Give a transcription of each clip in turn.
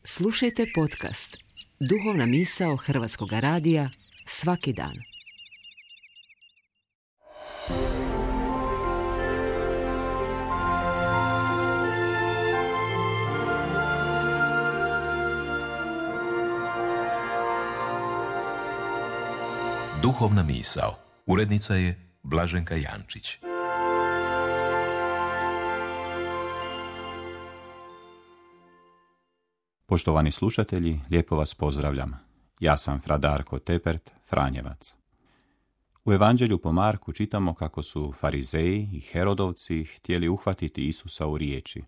Slušajte podcast Duhovna misao Hrvatskog radija svaki dan. Duhovna misao. Urednica je Blaženka Jančić. Poštovani slušatelji, lijepo vas pozdravljam. Ja sam fra Darko Tepert, Franjevac. U Evanđelju po Marku čitamo kako su Farizeji i Herodovci htjeli uhvatiti Isusa u riječi.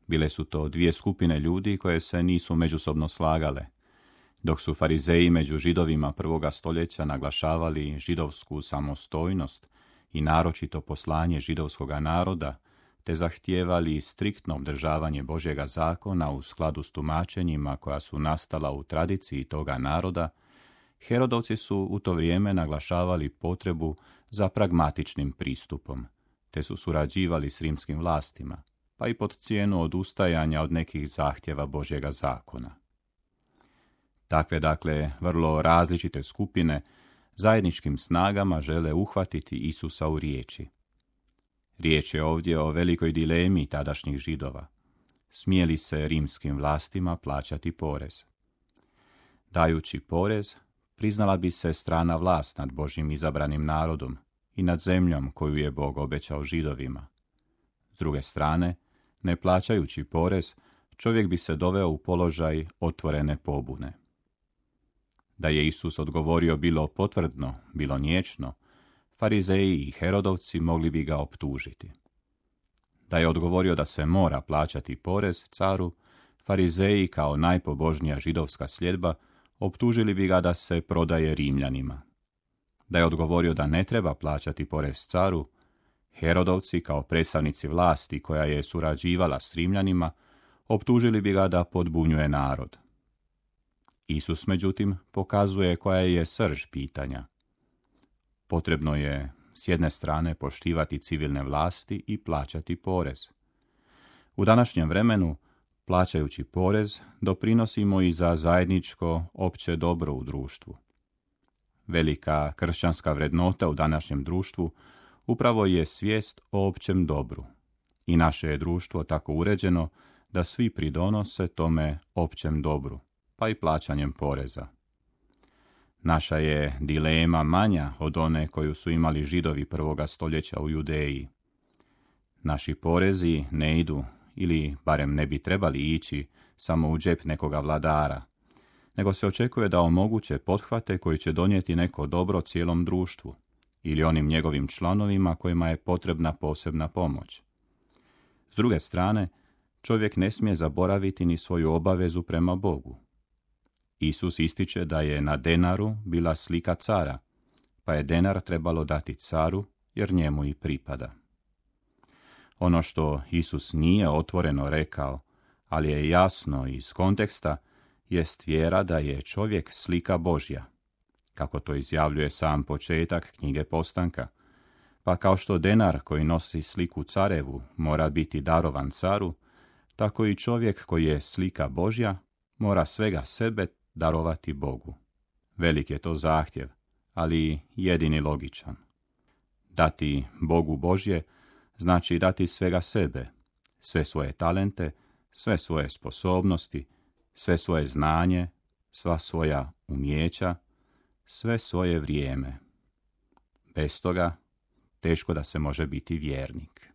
Bile su to dvije skupine ljudi koje se nisu međusobno slagale. Dok su Farizeji među Židovima prvoga stoljeća naglašavali židovsku samostojnost i naročito poslanje židovskoga naroda, te zahtijevali striktno obdržavanje Božjega zakona u skladu s tumačenjima koja su nastala u tradiciji toga naroda, Herodovci su u to vrijeme naglašavali potrebu za pragmatičnim pristupom, te su surađivali s rimskim vlastima, pa i pod cijenu odustajanja od nekih zahtjeva Božjega zakona. Takve, vrlo različite skupine zajedničkim snagama žele uhvatiti Isusa u riječi. Riječ je ovdje o velikoj dilemi tadašnjih Židova. Smije li se rimskim vlastima plaćati porez? Dajući porez, priznala bi se strana vlast nad Božjim izabranim narodom i nad zemljom koju je Bog obećao Židovima. S druge strane, ne plaćajući porez, čovjek bi se doveo u položaj otvorene pobune. Da je Isus odgovorio bilo potvrdno, bilo niječno, Farizeji i Herodovci mogli bi ga optužiti. Da je odgovorio da se mora plaćati porez caru, Farizeji kao najpobožnija židovska sljedba optužili bi ga da se prodaje Rimljanima. Da je odgovorio da ne treba plaćati porez caru, Herodovci kao predstavnici vlasti koja je surađivala s Rimljanima optužili bi ga da podbunjuje narod. Isus, međutim, pokazuje koja je srž pitanja. Potrebno je s jedne strane poštivati civilne vlasti i plaćati porez. U današnjem vremenu, plaćajući porez, doprinosimo i za zajedničko opće dobro u društvu. Velika kršćanska vrednota u današnjem društvu upravo je svijest o općem dobru. I naše je društvo tako uređeno da svi pridonose tome općem dobru, pa i plaćanjem poreza. Naša je dilema manja od one koju su imali Židovi prvoga stoljeća u Judeji. Naši porezi ne idu, ili barem ne bi trebali ići, samo u džep nekoga vladara, nego se očekuje da omoguće pothvate koji će donijeti neko dobro cijelom društvu ili onim njegovim članovima kojima je potrebna posebna pomoć. S druge strane, čovjek ne smije zaboraviti ni svoju obavezu prema Bogu. Isus ističe da je na denaru bila slika cara, pa je denar trebalo dati caru jer njemu i pripada. Ono što Isus nije otvoreno rekao, ali je jasno iz konteksta, jest vjera da je čovjek slika Božja, kako to izjavljuje sam početak knjige Postanka. Pa kao što denar koji nosi sliku carevu mora biti darovan caru, tako i čovjek koji je slika Božja mora svega sebe darovati Bogu. Velik je to zahtjev, ali jedini logičan. Dati Bogu Božje znači dati svega sebe, sve svoje talente, sve svoje sposobnosti, sve svoje znanje, sva svoja umijeća, sve svoje vrijeme. Bez toga teško da se može biti vjernik.